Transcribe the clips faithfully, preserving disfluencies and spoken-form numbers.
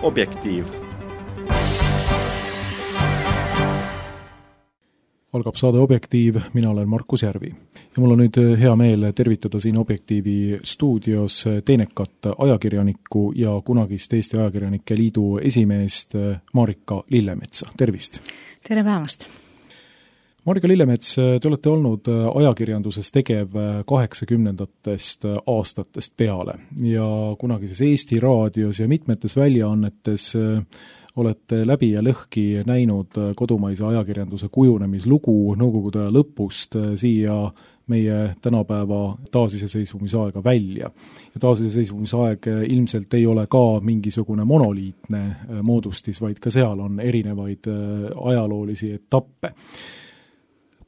Objektiiv. Algab saade Objektiiv, mina olen Markus Järvi. Ja mul on nüüd hea meel tervitada siin Objektiivi stuudios teenekat ajakirjanikku ja kunagist Eesti Ajakirjanike Liidu esimeest Marika Lillemetsa. Tervist! Tere päevast! Marika Lillemets, te olete olnud ajakirjanduses tegev kaheksakümnendatest aastatest peale ja kunagises Eesti raadios ja mitmetes väljaannetes olete läbi ja lõhki näinud kodumaise ajakirjanduse kujunemislugu nõukogude aja lõpust siia meie tänapäeva taasiseseisvumisaega välja. Ja taasiseseisvumisaeg ilmselt ei ole ka mingisugune monoliitne moodustis, vaid ka seal on erinevaid ajaloolisi etappe.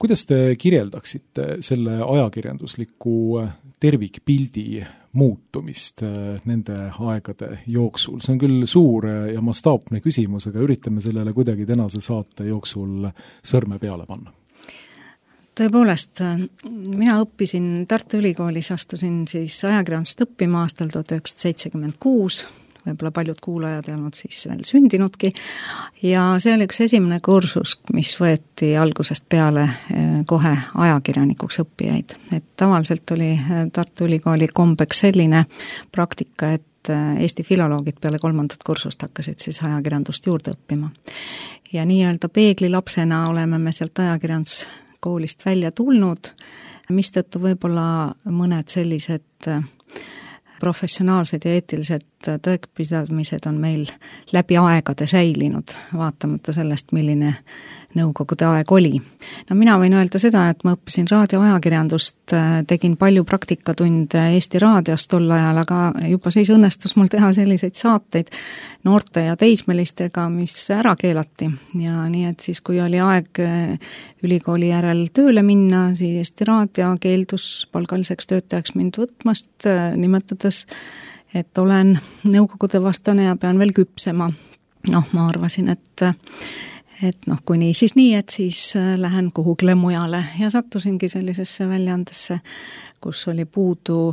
Kuidas te kirjeldaksite selle ajakirjandusliku tervikpildi muutumist nende aegade jooksul? See on küll suur ja mastaapne küsimus, aga üritame sellele kuidagi tänase saate jooksul sõrme peale panna. Tõepoolest, mina õppisin Tartu Ülikoolis, astusin siis ajakirjandust õppima aastal tuhat üheksasada seitsekümmend kuus, võib-olla paljud kuulajad ei olnud siis veel sündinudki, ja see oli üks esimene kursus, mis võeti algusest peale kohe ajakirjanikuks õppijaid. Et tavaliselt oli Tartu Ülikooli kombeks selline praktika, et Eesti filoloogid peale kolmandat kursust hakkasid siis ajakirjandust juurde õppima. Ja nii-öelda peeglilapsena oleme me sealt ajakirjanduskoolist välja tulnud, mistõttu võib-olla mõned sellised professionaalsed ja eetilised tõekpidamised on meil läbi aegade säilinud, vaatamata sellest, milline nõukogude aeg oli. No mina võin öelda seda, et ma õppisin raadioajakirjandust, tegin palju praktikatunde Eesti raadios tol ajal, aga juba siis õnnestus mul teha selliseid saateid noorte ja teismelistega, mis ära keelati. Ja nii, et siis kui oli aeg ülikooli järel tööle minna, siis Eesti raadio keeldus palgaliseks töötajaks mind võtmast, nimetades et olen nõukogude vastane ja pean veel küpsema. Noh, ma arvasin, et, et noh, kui nii, siis nii, et siis lähen kuhugile mujale ja sattusingi sellisesse väljaandesse, kus oli puudu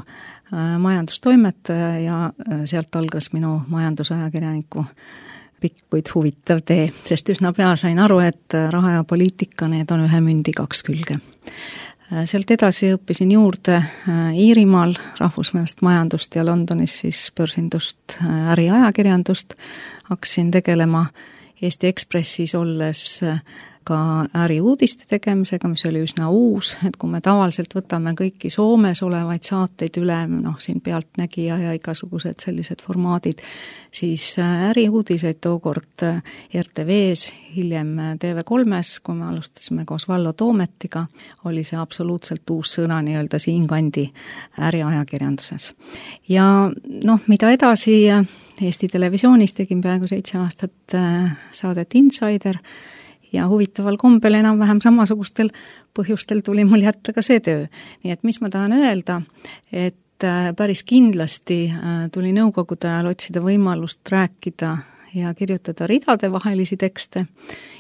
majandustoimetaja ja sealt algas minu majandusajakirjaniku pikk, kuid huvitav tee, sest üsna pea sain aru, et raha ja poliitika, need on ühe mündi kaks külge. Sealt edasi õppisin juurde Iirimaal rahvusvahelist majandust ja Londonis siis börsindust, äriajakirjandust. Hakkasin tegelema Eesti Ekspressis olles ka äriuudiste tegemisega, mis oli üsna uus, et kui me tavaliselt võtame kõiki Soomes olevaid saateid üle, noh siin Pealtnägija ja igasugused sellised formaadid, siis äriuudiseid tookord R T V-s, hiljem T V kolmes, kui me alustasime koos Vallo Toometiga, oli see absoluutselt uus sõna nii-öelda siinkandi äriajakirjanduses. Ja noh, mida edasi Eesti Televisioonis tegin peaaegu seitse aastat saadet Insider, ja huvitaval kombel enam-vähem samasugustel põhjustel tuli mul jätta ka see töö. Nii et mis ma tahan öelda, et päris kindlasti tuli nõukogude ajal otsida võimalust rääkida ja kirjutada ridade vahelisi tekste.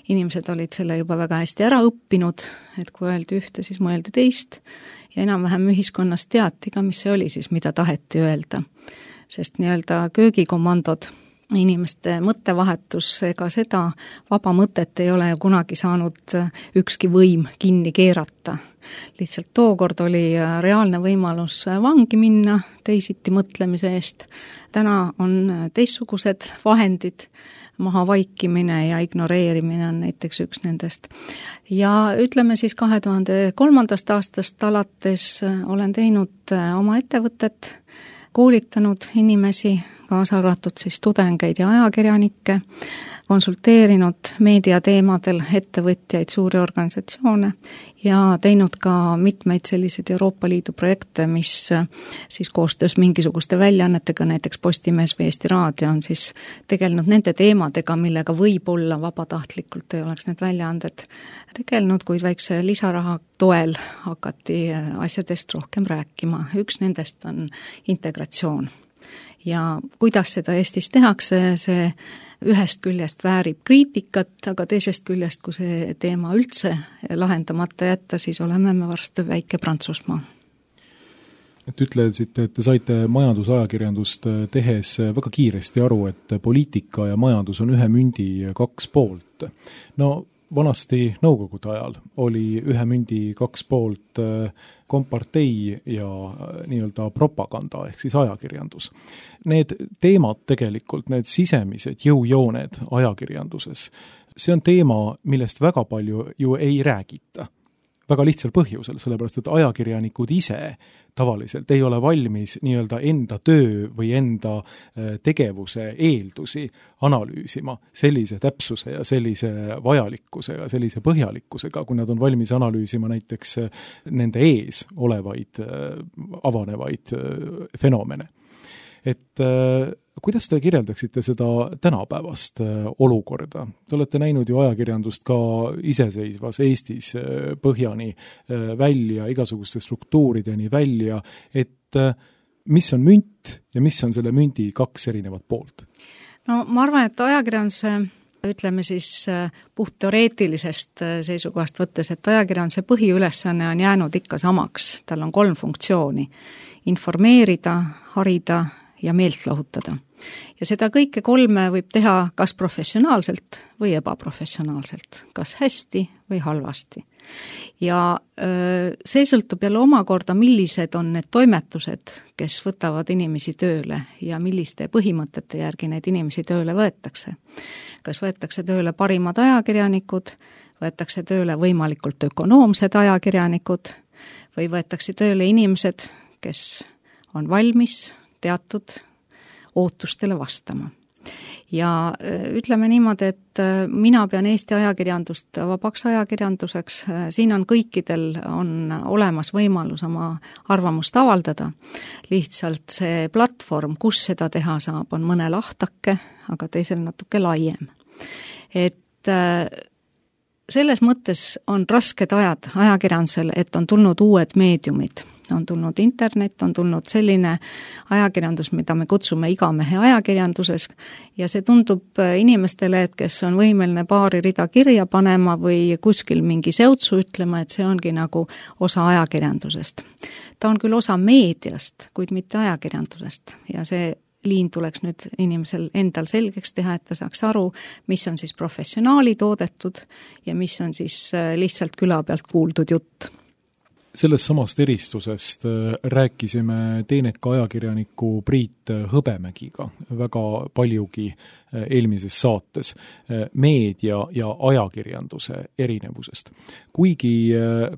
Inimesed olid selle juba väga hästi ära õppinud, et kui öeldi ühte, siis mõeldi teist ja enam-vähem ühiskonnas teati ka, mis see oli siis, mida taheti öelda. Sest nii-öelda köögikomandod, inimeste mõttevahetus, ega seda vaba mõtet ei ole ju kunagi saanud ükski võim kinni keerata. Lihtsalt tookord oli reaalne võimalus vangi minna teisiti mõtlemise eest. Täna on teistsugused vahendid, maha vaikimine ja ignoreerimine on näiteks üks nendest. Ja ütleme siis kahe tuhande kolmandast aastast alates olen teinud oma ettevõtet, koolitanud inimesi, kaasa arvatud siis tudengeid ja ajakirjanikke, konsulteerinud meediateemadel ettevõtjaid, suuri organisatsioone ja teinud ka mitmeid selliseid Euroopa Liidu projekte, mis siis koostöös mingisuguste väljaannetega, näiteks Postimees või Eesti Raadio on siis tegelenud nende teemadega, millega võib-olla vabatahtlikult ei oleks need väljaanded tegelenud, kuid väikse lisaraha toel hakati asjadest rohkem rääkima. Üks nendest on integratsioon. Ja kuidas seda Eestis tehakse, see ühest küljest väärib kriitikat, aga teisest küljest, kui see teema üldse lahendamata jätta, siis oleme me varsti väike Prantsusmaa. et ütlesite, et te saite majandusajakirjandust tehes väga kiiresti aru, et poliitika ja majandus on ühe mündi kaks poolt. No vanasti Nõukogude ajal oli ühe mündi kaks poolt kompartei ja nii-öelda propaganda ehk siis ajakirjandus. Need teemad tegelikult, need sisemised jõujooned ajakirjanduses, see on teema, millest väga palju ju ei räägita. Väga lihtsal põhjusel, sellepärast et ajakirjanikud ise tavaliselt ei ole valmis nii-öelda enda töö või enda tegevuse eeldusi analüüsima sellise täpsuse ja sellise vajalikkusega, sellise põhjalikkusega, kui nad on valmis analüüsima näiteks nende ees olevaid avanevaid fenomene. Et kuidas te kirjeldaksite seda tänapäevast olukorda? Te olete näinud ju ajakirjandust ka iseseisvas Eestis põhjani välja, igasuguste struktuurideni välja, et mis on münt ja mis on selle mündi kaks erinevat poolt? No ma arvan, et ajakirjanduse, ütleme siis puht teoreetilisest seisukohast võttes, et ajakirjanduse põhiülesanne on jäänud ikka samaks. Tal on kolm funktsiooni: informeerida, harida ja meelt lahutada. Ja seda kõike kolme võib teha kas professionaalselt või ebaprofessionaalselt, kas hästi või halvasti. Ja see sõltub jälle omakorda, millised on need toimetused, kes võtavad inimesi tööle ja milliste põhimõtete järgi neid inimesi tööle võetakse. Kas võetakse tööle parimad ajakirjanikud, võetakse tööle võimalikult ökonoomsed ajakirjanikud või võetakse tööle inimesed, kes on valmis teatud ootustele vastama. Ja ütleme niimoodi, et mina pean Eesti ajakirjandust vabaks ajakirjanduseks, siin on kõikidel on olemas võimalus oma arvamust avaldada. Lihtsalt see platvorm, kus seda teha saab, on mõne lahtake, aga teisel natuke laiem. Et selles mõttes on rasked ajad ajakirjandusel, et on tulnud uued meediumid. On tulnud internet, on tulnud selline ajakirjandus, mida me kutsume igamehe ajakirjanduses ja see tundub inimestele, et kes on võimeline paari rida kirja panema või kuskil mingi seutsu ütlema, et see ongi nagu osa ajakirjandusest. Ta on küll osa meediast, kuid mitte ajakirjandusest ja see liin tuleks nüüd inimesel endal selgeks teha, et ta saaks aru, mis on siis professionaali toodetud ja mis on siis lihtsalt küla pealt kuuldud jutt. Sellest samast eristusest rääkisime teeneka ajakirjaniku Priit Hõbemägiga väga paljugi eelmises saates meedia ja ajakirjanduse erinevusest. Kuigi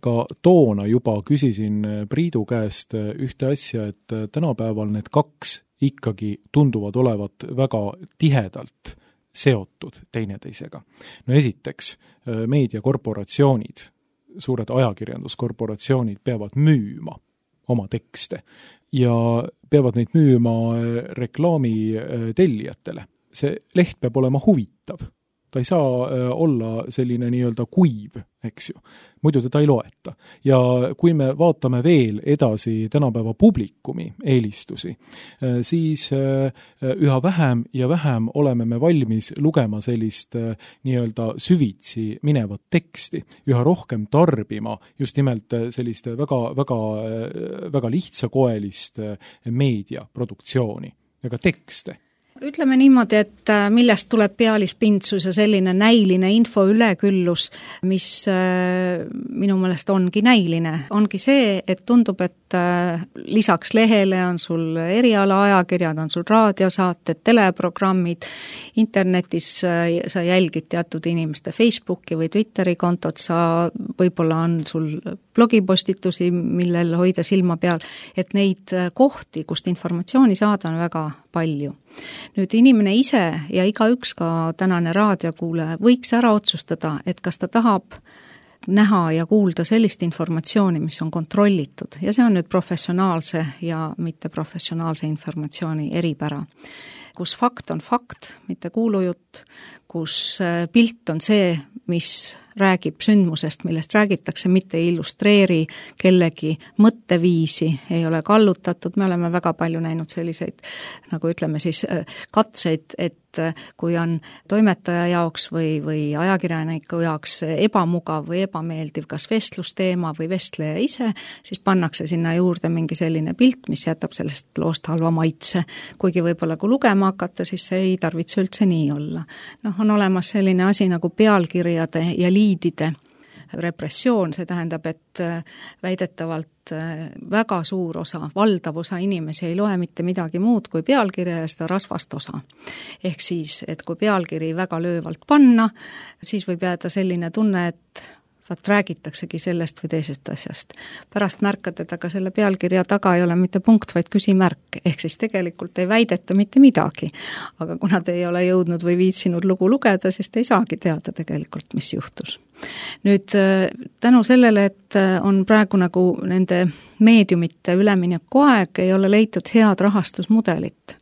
ka toona juba küsisin Priidu käest ühte asja, et tänapäeval need kaks ikkagi tunduvad olevat väga tihedalt seotud teineteisega. No esiteks, meediakorporatsioonid, suured ajakirjanduskorporatsioonid peavad müüma oma tekste ja peavad neid müüma reklaami tellijatele. See leht peab olema huvitav. Ta ei saa olla selline nii-öelda kuiv, eks ju. Muidu teda ei loeta. Ja kui me vaatame veel edasi tänapäeva publikumi eelistusi, siis üha vähem ja vähem oleme me valmis lugema sellist nii-öelda süvitsi minevat teksti, üha rohkem tarbima just nimelt sellist väga, väga, väga lihtsakoelist meediaproduktsiooni ja ka tekste. Ütleme niimoodi, et millest tuleb pealispindsus ja selline näiline info üleküllus, mis minu meelest ongi näiline, ongi see, et tundub, et lisaks lehele on sul eriala ajakirjad, on sul raadiosaated, teleprogrammid, internetis sa jälgid teatud inimeste Facebooki või Twitteri kontot, sa võib-olla on sul blogipostitusi, millel hoida silma peal, et neid kohti, kust informatsiooni saada, on väga palju. Nüüd inimene ise ja igaüks ka tänane raadiokuulaja võiks ära otsustada, et kas ta tahab näha ja kuulda sellist informatsiooni, mis on kontrollitud ja see on nüüd professionaalse ja mitte professionaalse informatsiooni eripära. Kus fakt on fakt, mitte kuulujutt, kus pilt on see, mis räägib sündmusest, millest räägitakse, mitte ei illustreeri kellegi mõtteviisi, ei ole kallutatud, me oleme väga palju näinud selliseid, nagu ütleme siis, katseid, et kui on toimetaja jaoks või, või ajakirjaniku jaoks ebamugav või ebameeldiv kas vestlusteema või vestleja ise, siis pannakse sinna juurde mingi selline pilt, mis jätab sellest loost halva maitse. Kuigi võib-olla kui lugema hakata, siis see ei tarvitse üldse nii olla. Noh, on olemas selline asi nagu pealkirjade ja liidide repressioon, see tähendab, et väidetavalt väga suur osa, valdav osa inimesi ei loe mitte midagi muud kui pealkirja ja seda rasvast osa. Ehk siis, et kui pealkiri väga löövalt panna, siis võib jääda selline tunne, et vaat räägitaksegi sellest või teisest asjast. Pärast märkad, et aga selle pealkirja taga ei ole mitte punkt, vaid küsimärk, ehk siis tegelikult ei väideta mitte midagi. Aga kuna te ei ole jõudnud või viitsinud lugu lugeda, siis te ei saagi teada tegelikult, mis juhtus. Nüüd tänu sellele, et on praegu nagu nende meediumite ülemineku aeg, ei ole leitud head rahastusmudelit.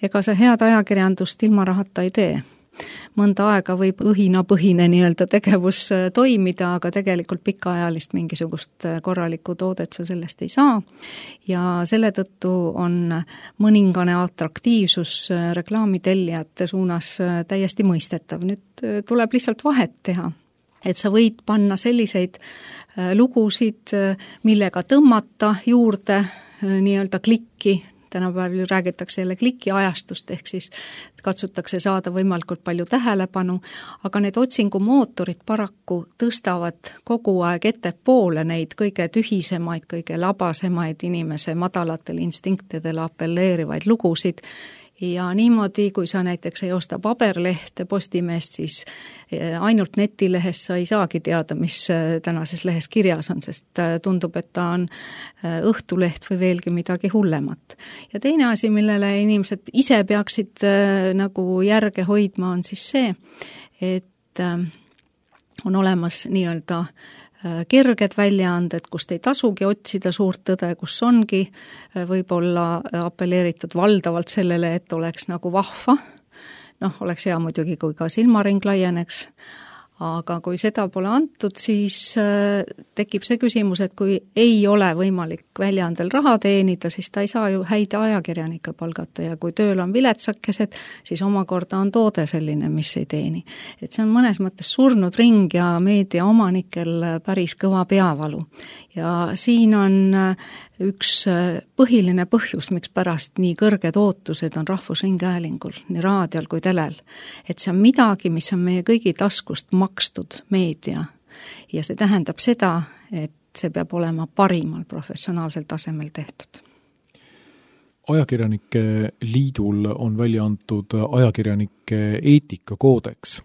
Ega see head ajakirjandust ilma rahata ei tee. Mõnda aega võib õhinapõhine nii-öelda tegevus toimida, aga tegelikult pikaajalist mingisugust korralikku toodet sa sellest ei saa. Ja selle tõttu on mõningane atraktiivsus reklaamitellijate suunas täiesti mõistetav. Nüüd tuleb lihtsalt vahet teha, et sa võid panna selliseid lugusid, millega tõmmata juurde nii-öelda klikki. Tänapäeval räägitakse jälle klikiajastust, ehk siis katsutakse saada võimalikult palju tähelepanu, aga need otsingumootorid paraku tõstavad kogu aeg ettepoole neid kõige tühisemaid, kõige labasemaid inimese madalatel instinktidele apelleerivaid lugusid. Ja niimoodi, kui sa näiteks ei osta paberlehte Postimeest, siis ainult netilehes sa ei saagi teada, mis tänases lehes kirjas on, sest tundub, et ta on Õhtuleht või veelgi midagi hullemat. Ja teine asi, millele inimesed ise peaksid nagu järge hoidma, on siis see, et on olemas nii-öelda kerged väljaanded, kust ei tasugi otsida suurt tõde, kus ongi võib-olla apelleeritud valdavalt sellele, et oleks nagu vahva. Noh, oleks hea muidugi, kui ka silmaring laieneks. Aga kui seda pole antud, siis tekib see küsimus, et kui ei ole võimalik väljaandel raha teenida, siis ta ei saa ju häid ajakirjanikke palgata ja kui tööl on viletsakesed, siis omakorda on toode selline, mis ei teeni. Et see on mõnes mõttes surnud ring ja meedia omanikel päris kõva peavalu. Ja siin on üks põhiline põhjus, miks pärast nii kõrged ootused on Rahvusringhäälingul, nii raadiol kui telel. Et see on midagi, mis on meie kõigi taskust makstud meedia. Ja see tähendab seda, et see peab olema parimal professionaalsel tasemel tehtud. Ajakirjanike liidul on välja antud ajakirjanike eetikakoodeks.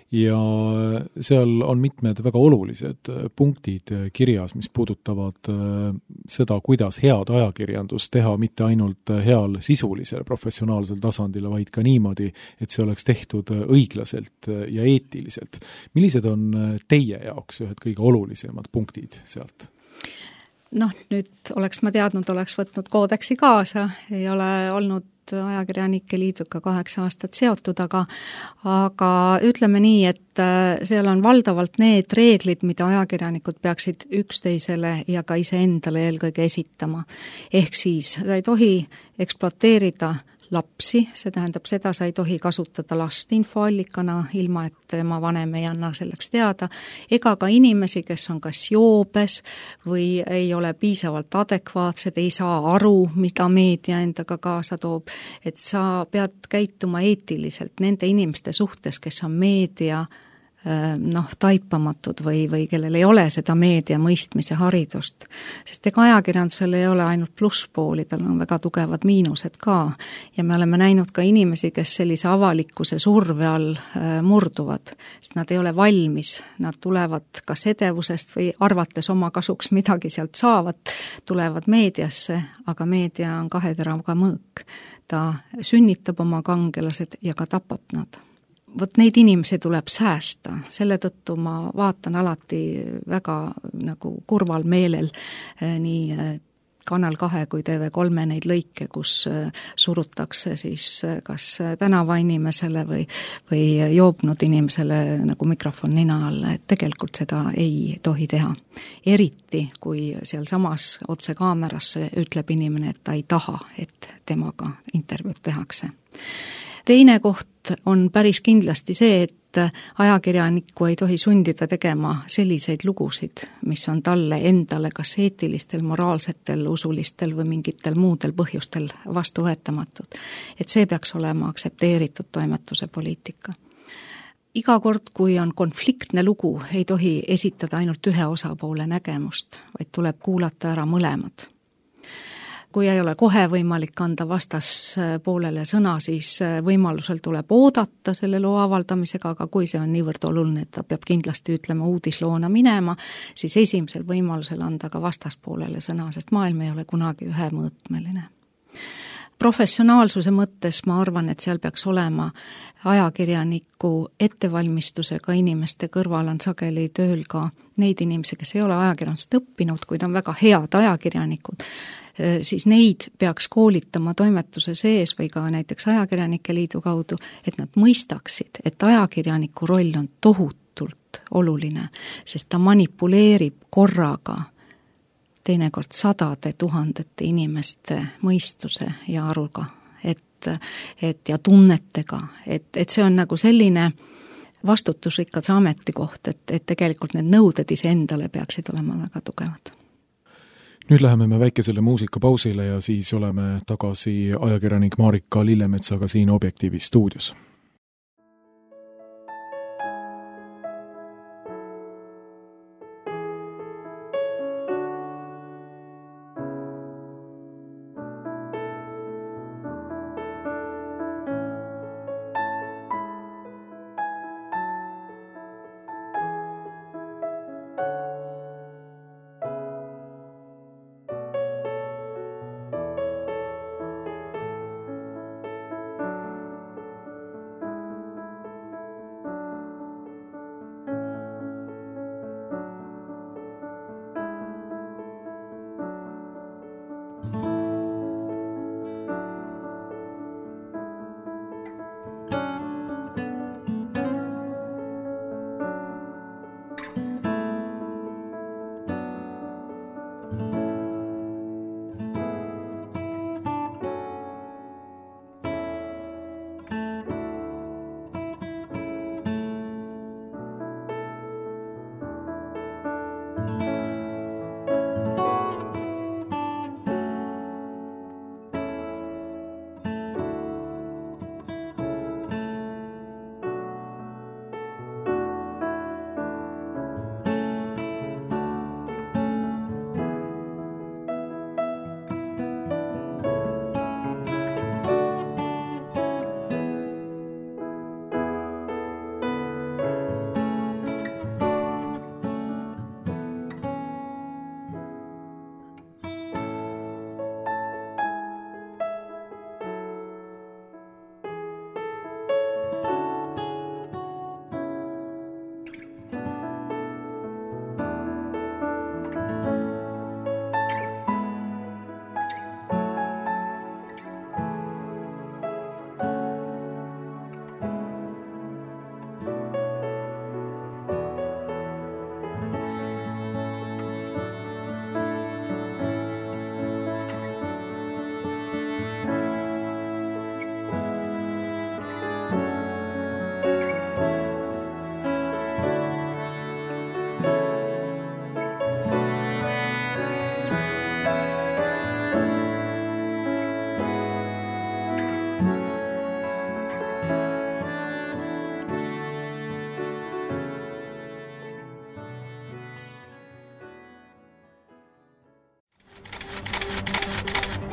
Ja seal on mitmed väga olulised punktid kirjas, mis puudutavad seda, kuidas head ajakirjandust teha mitte ainult heal sisulisel professionaalsel tasandil, vaid ka niimoodi, et see oleks tehtud õiglaselt ja eetiliselt. Millised on teie jaoks ühed kõige olulisemad punktid sealt? Noh, nüüd oleks ma teadnud, oleks võtnud koodeksi kaasa, ei ole olnud ajakirjanike liiduga kaheksa aastat seotud, aga, aga ütleme nii, et seal on valdavalt need reeglid, mida ajakirjanikud peaksid üksteisele ja ka iseendale eelkõige esitama. Ehk siis sa ei tohi ekspluateerida lapsi, see tähendab seda, sa ei tohi kasutada last infoallikana, ilma et tema vanem ei anna selleks teada, ega ka inimesi, kes on kas joobes või ei ole piisavalt adekvaatsed, ei saa aru, mida meedia endaga kaasa toob, et sa pead käituma eetiliselt nende inimeste suhtes, kes on meedia noh, taipamatud või, või kellel ei ole seda meedia mõistmise haridust. Sest ega ajakirjandusel ei ole ainult plusspooli, tal on väga tugevad miinused ka. Ja me oleme näinud ka inimesi, kes sellise avalikkuse surve all murduvad, sest nad ei ole valmis, nad tulevad kas edevusest või arvates oma kasuks midagi sealt saavad, tulevad meediasse, aga meedia on kaheteraga mõõk. Ta sünnitab oma kangelased ja ka tapab nad. Vot neid inimesi tuleb säästa, selle tõttu ma vaatan alati väga nagu kurval meelel nii Kanal kahe kui T V kolme neid lõike, kus surutakse siis kas tänavainimesele või, või joobnud inimesele nagu mikrofon nina alla, et tegelikult seda ei tohi teha. Eriti, kui seal samas otse kaamerasse ütleb inimene, et ta ei taha, et temaga intervjuud tehakse. Teine koht on päris kindlasti see, et ajakirjanikku ei tohi sundida tegema selliseid lugusid, mis on talle endale kas eetilistel, moraalsetel, usulistel või mingitel muudel põhjustel vastuvõetamatud. Et see peaks olema aktsepteeritud toimetuse poliitika. Iga kord, kui on konfliktne lugu, ei tohi esitada ainult ühe osapoole nägemust, vaid tuleb kuulata ära mõlemad. Kui ei ole kohe võimalik anda vastaspoolele sõna, siis võimalusel tuleb oodata selle loo avaldamisega, aga kui see on niivõrd oluline, et ta peab kindlasti ütlema uudisloona minema, siis esimesel võimalusel anda ka vastaspoolele sõna, sest maailm ei ole kunagi ühemõõtmeline. Professionaalsuse mõttes ma arvan, et seal peaks olema ajakirjaniku ettevalmistusega inimeste kõrval on sageli tööl ka neid inimesi, kes ei ole ajakirjandust õppinud, kuid on väga head ajakirjanikud, siis neid peaks koolitama toimetuse sees või ka näiteks Ajakirjanike Liidu kaudu, et nad mõistaksid, et ajakirjaniku roll on tohutult oluline, sest ta manipuleerib korraga teinekord sadade tuhandete inimeste mõistuse ja aruga, et, et ja tunnetega, et, et see on nagu selline vastutusrikas ametikoht, et, et tegelikult need nõuded iseendale peaksid olema väga tugevad. Nüüd läheme me väikesele muusikapausile ja siis oleme tagasi ajakirjanik Marika Lillemetsaga siin Objektiivi stuudios.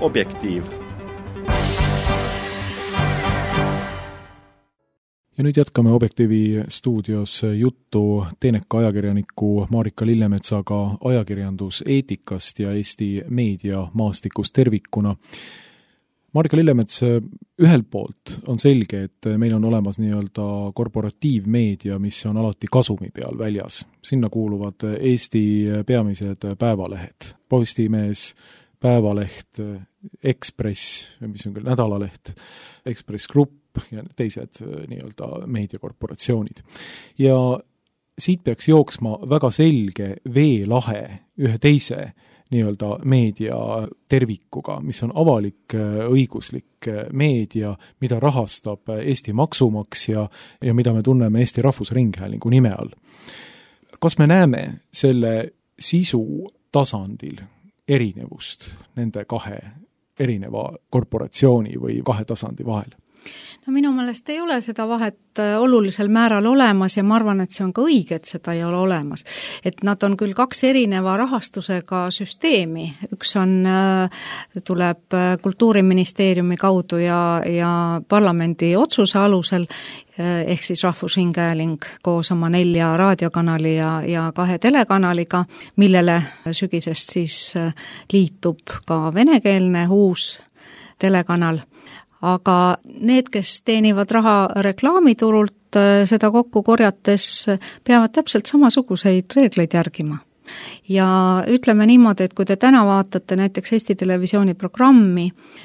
Objektiiv. Ja nüüd jätkame Objektiivi stuudios juttu teeneka ajakirjaniku Marika Lillemetsaga ajakirjanduseetikast ja Eesti meediamaastikust tervikuna. Marika Lillemets, ühelt poolt on selge, et meil on olemas nii-öelda korporatiivmeedia, mis on alati kasumi peal väljas. Sinna kuuluvad Eesti peamised päevalehed, Postimees, Päevaleht, Ekspress, mis on küll nädalaleht, Ekspress Grupp ja teised nii-öelda meediakorporatsioonid. Ja siit peaks jooksma väga selge veelahe ühe teise nii-öelda meedia tervikuga, mis on avalik õiguslik meedia, mida rahastab Eesti maksumaksja ja mida me tunneme Eesti Rahvusringhäälingu nime all. Kas me näeme selle sisu tasandil erinevust nende kahe erineva korporatsiooni või kahe tasandi vahel? No minu meelest ei ole seda vahet olulisel määral olemas ja ma arvan, et see on ka õige, et seda ei ole olemas. Et nad on küll kaks erineva rahastusega süsteemi. Üks on, tuleb Kultuuriministeeriumi kaudu ja, ja parlamendi otsuse alusel, ehk siis Rahvusringhääling koos oma nelja raadiokanali ja, ja kahe telekanaliga, millele sügisest siis liitub ka venekeelne uus telekanal. Aga need, kes teenivad raha reklaamiturult, seda kokku korjates peavad täpselt samasuguseid reegleid järgima. Ja ütleme niimoodi, et kui te täna vaatate näiteks Eesti Televisiooni programmi,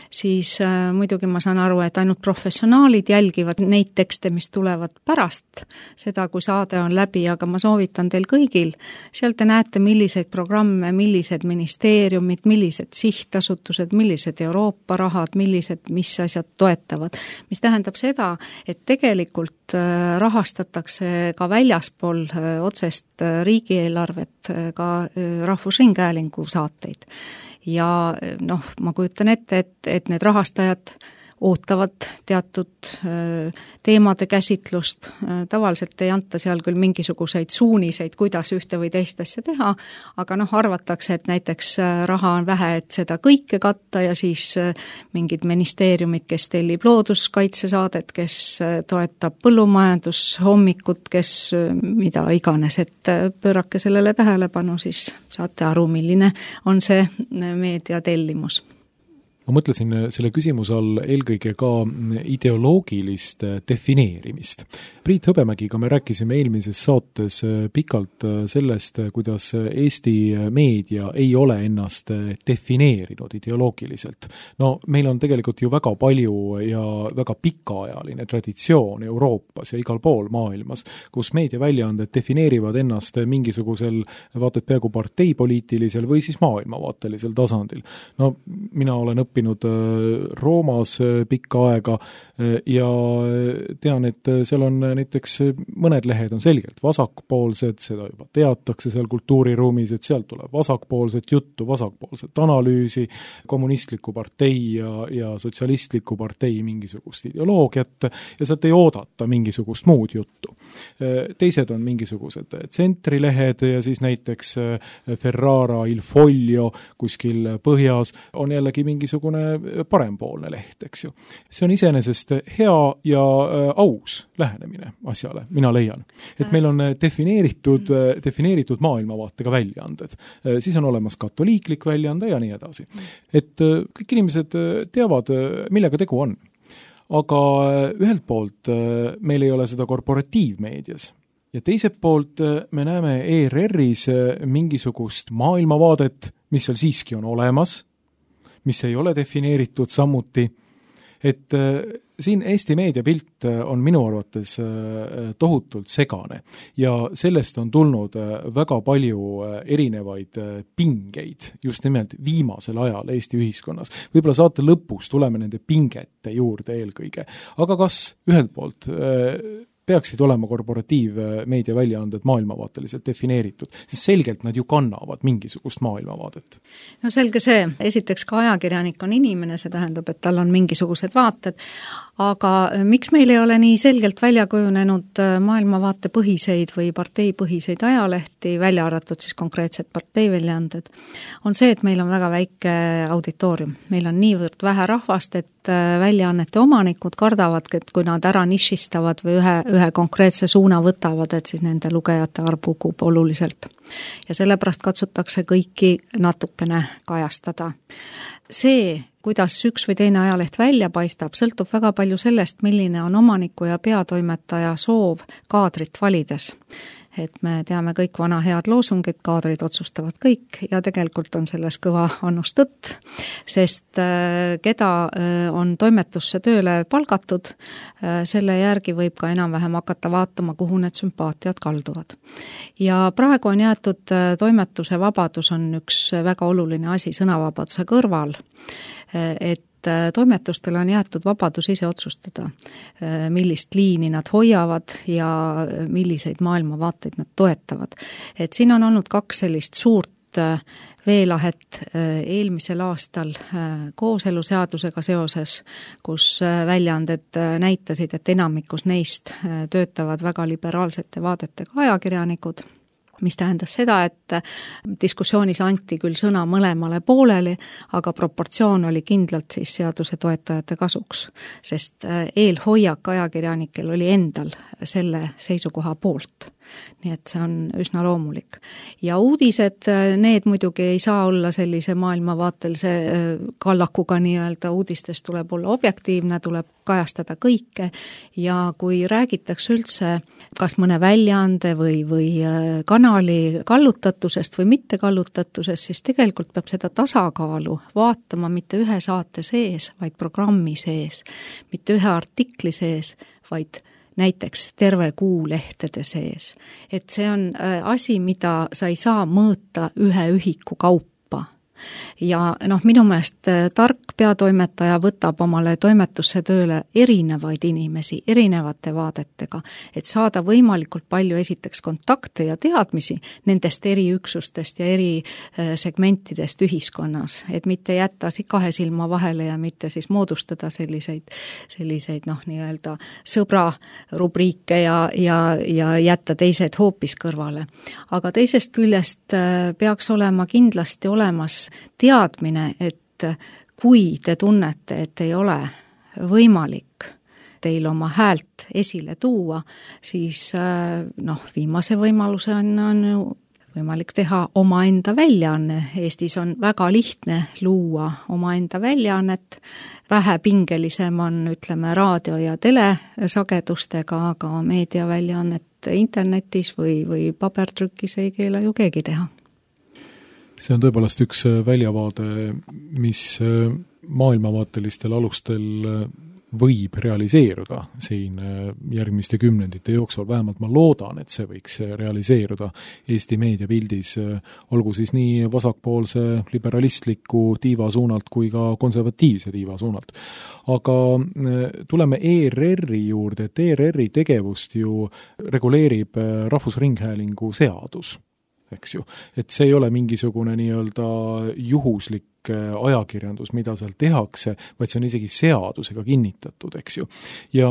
siis äh, muidugi ma saan aru, et ainult professionaalid jälgivad neid tekste, mis tulevad pärast seda, kui saade on läbi, aga ma soovitan teil kõigil. Seal te näete, milliseid programme, millised ministeeriumid, millised sihtasutused, millised Euroopa rahad, millised, mis asjad toetavad. Mis tähendab seda, et tegelikult äh, rahastatakse ka väljaspool äh, otsest äh, riigieelarvet ka Rahvusringhäälingu saateid. Ja noh, ma kujutan ette, et, et need rahastajad ootavad teatud teemade käsitlust. Tavaliselt ei anta seal küll mingisuguseid suuniseid, kuidas ühte või teist asja teha, aga noh, arvatakse, et näiteks raha on vähe, et seda kõike katta ja siis mingid ministeeriumid, kes tellib looduskaitsesaadet, kes toetab põllumajandushommikut, kes mida iganes, et pöörake sellele tähelepanu, siis saate aru, milline on see meediatellimus. Ma mõtlesin selle küsimuse all eelkõige ka ideoloogilist defineerimist. Priit Hõbemägiga me rääkisime eelmises saates pikalt sellest, kuidas Eesti meedia ei ole ennast defineerinud ideoloogiliselt. No meil on tegelikult ju väga palju ja väga pikaajaline traditsioon Euroopas ja igal pool maailmas, kus meediaväljaanded defineerivad ennast mingisugusel vaated peaaegu parteipoliitilisel või siis maailmavaatelisel tasandil. No mina olen õppinud Roomas pikka aega ja tean, et seal on näiteks mõned lehed on selgelt vasakpoolsed, seda juba teatakse seal kultuuriruumis, et sealt tuleb vasakpoolset juttu, vasakpoolset analüüsi, kommunistliku partei ja, ja sotsialistliku partei mingisugust ideoloogiat ja sealt ei oodata mingisugust muud juttu. Teised on mingisugused tsentrilehed ja siis näiteks Ferrara Il Foglio kuskil põhjas on jällegi mingisugune parempoolne leht, eks ju. See on iseenesest hea ja aus lähenemine asjale, mina leian. Et meil on defineeritud, defineeritud maailmavaatega väljaanded. Siis on olemas katoliiklik väljaande ja nii edasi. Et kõik inimesed teavad, millega tegu on. Aga ühelt poolt meil ei ole seda korporatiivmeedias. Ja teiselt poolt me näeme E R R-is mingisugust maailmavaadet, mis seal siiski on olemas, mis ei ole defineeritud samuti, et siin Eesti meediapilt on minu arvates tohutult segane ja sellest on tulnud väga palju erinevaid pingeid just nimelt viimasel ajal Eesti ühiskonnas. Võib-olla saate lõpus tuleme nende pingete juurde eelkõige, aga kas ühelt poolt peaksid olema korporatiivmeedia väljaanded maailmavaateliselt defineeritud, sest selgelt nad ju kannavad mingisugust maailmavaadet. No selge see, esiteks ka ajakirjanik on inimene, see tähendab, et tal on mingisugused vaated, aga miks meil ei ole nii selgelt välja kujunenud maailmavaate põhiseid või parteipõhiseid ajalehti, välja arvatud siis konkreetsed parteiväljaanded, on see, et meil on väga väike auditoorium. Meil on niivõrd vähe rahvast, et väljaannete omanikud kardavad, et kui nad ära nišistavad või ühe, ühe konkreetse suuna võtavad, et siis nende lugejate arv kukub oluliselt. Ja sellepärast katsutakse kõiki natukene kajastada. See, kuidas üks või teine ajaleht välja paistab, sõltub väga palju sellest, milline on omaniku ja peatoimetaja soov kaadrit valides. et me teame kõik vana head loosungid, kaadrid otsustavad kõik ja tegelikult on selles kõva annus tõtt, sest keda on toimetusse tööle palgatud, selle järgi võib ka enam-vähem hakata vaatama, kuhu need sümpaatiad kalduvad. Ja praegu on jäetud toimetuse vabadus on üks väga oluline asi sõnavabaduse kõrval, et toimetustel on jäetud vabadus ise otsustada, millist liini nad hoiavad ja milliseid maailmavaateid nad toetavad. Et siin on olnud kaks sellist suurt veelahet eelmisel aastal kooseluseadusega seoses, kus väljaanded näitasid, et enamikus neist töötavad väga liberaalsete vaadetega ajakirjanikud, mis tähendas seda, et diskussioonis anti küll sõna mõlemale poolele, aga proportsioon oli kindlalt siis seaduse toetajate kasuks, sest eelhoiak ajakirjanikel oli endal selle seisukoha poolt. Nii et see on üsna loomulik. Ja uudised, need muidugi ei saa olla sellise maailmavaatelise kallakuga nii-öelda, uudistest tuleb olla objektiivne, tuleb kajastada kõike ja kui räägitakse üldse kas mõne väljaande või, või kanali kallutatusest või mitte kallutatusest, siis tegelikult peab seda tasakaalu vaatama mitte ühe saate sees, vaid programmi sees, mitte ühe artikli sees, vaid näiteks terve kuu lehtede sees. Et see on asi, mida sa ei saa mõõta ühe ühiku kaupa. Ja noh, minu meelest tark peatoimetaja võtab omale toimetusse tööle erinevaid inimesi, erinevate vaadetega, et saada võimalikult palju esiteks kontakte ja teadmisi nendest eri üksustest ja eri segmentidest ühiskonnas, et mitte jätta kahe silma vahele ja mitte siis moodustada selliseid, selliseid noh, nii-öelda sõbra rubriike ja, ja, ja jätta teised hoopis kõrvale. Aga teisest küljest peaks olema kindlasti olemas teadmine, et kui te tunnete, et ei ole võimalik teil oma häält esile tuua, siis noh, viimase võimaluse on, on võimalik teha omaenda väljaanne. Eestis on väga lihtne luua omaenda väljaannet, vähe pingelisem on, ütleme, raadio- ja telesagedustega, aga meediaväljaannet internetis või, või pabertrükis ei keela ju keegi teha. See on tõepoolest üks väljavaade, mis maailmavaatelistel alustel võib realiseeruda siin järgmiste kümnendite jooksul, vähemalt ma loodan, et see võiks realiseeruda Eesti meediapildis, olgu siis nii vasakpoolse liberalistliku tiiva suunalt kui ka konservatiivse tiiva suunalt. Aga tuleme E R R-i juurde, et E R R-i tegevust ju reguleerib Rahvusringhäälingu seadus. Eks ju, et see ei ole mingisugune nii-öelda juhuslik ajakirjandus, mida seal tehakse, vaid see on isegi seadusega kinnitatud, eks ju. Ja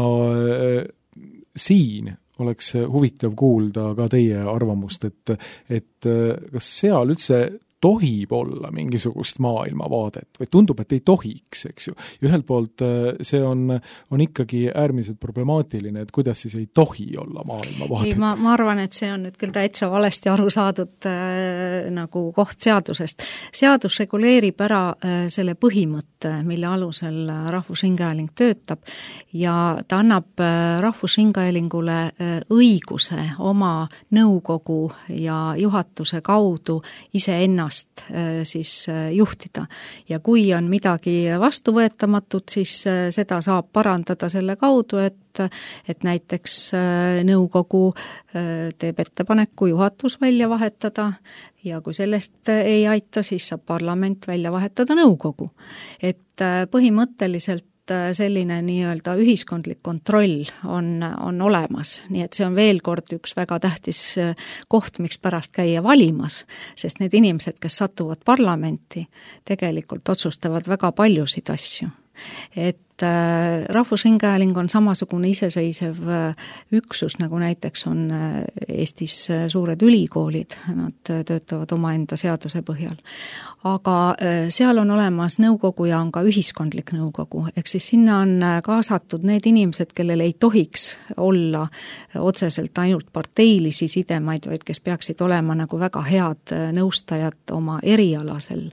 siin oleks huvitav kuulda ka teie arvamust, et, et kas seal üldse tohib olla mingisugust maailmavaadet või tundub, et ei tohiks, eks ju. Ühelt poolt see on, on ikkagi äärmiselt problemaatiline, et kuidas siis ei tohi olla maailmavaadet. Ei, ma, ma arvan, et see on nüüd küll täitsa valesti aru saadud äh, nagu koht seadusest. Seadus reguleerib ära äh, selle põhimõtte, mille alusel Rahvusringhääling töötab ja ta annab äh, Rahvusringhäälingule äh, õiguse oma nõukogu ja juhatuse kaudu ise ennast siis juhtida. Ja kui on midagi vastuvõetamatut, siis seda saab parandada selle kaudu, et, et näiteks nõukogu teeb ettepaneku juhatus välja vahetada ja kui sellest ei aita, siis saab parlament välja vahetada nõukogu. Et põhimõtteliselt selline nii-öelda ühiskondlik kontroll on, on olemas, nii et see on veel kord üks väga tähtis koht, miks pärast käia valimas, sest need inimesed, kes satuvad parlamenti, tegelikult otsustavad väga paljusid asju. Et Rahvusringhääling on samasugune iseseisev üksus, nagu näiteks on Eestis suured ülikoolid, nad töötavad omaenda seaduse põhjal. Aga seal on olemas nõukogu ja on ka ühiskondlik nõukogu, ehk siis sinna on kaasatud need inimesed, kellel ei tohiks olla otseselt ainult parteilisi sidemaid, vaid kes peaksid olema nagu väga head nõustajad oma erialasel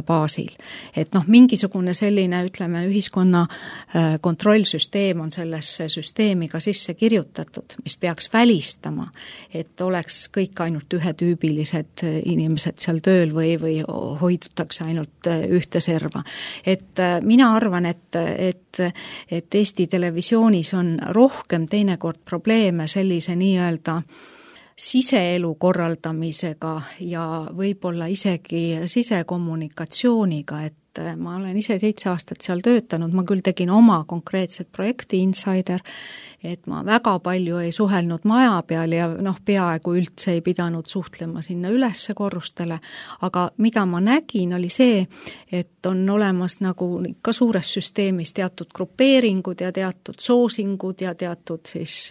baasil. Et noh, mingisugune selline, ütleme, ühiskonna kontrollsüsteem on sellesse süsteemi ka sisse kirjutatud, mis peaks välistama, et oleks kõik ainult ühetüübilised inimesed seal tööl või, või hoidutakse ainult ühte serva. Et mina arvan, et, et, et Eesti televisioonis on rohkem teinekord probleeme sellise nii-öelda siseelu korraldamisega ja võib-olla isegi sisekommunikatsiooniga, et ma olen ise seitse aastat seal töötanud, ma küll tegin oma konkreetset projekti Insider, et ma väga palju ei suhelnud maja peal ja noh, peaaegu üldse ei pidanud suhtlema sinna ülesse korrustele, aga mida ma nägin, oli see, et on olemas nagu ka suures süsteemis teatud grupeeringud ja teatud soosingud ja teatud siis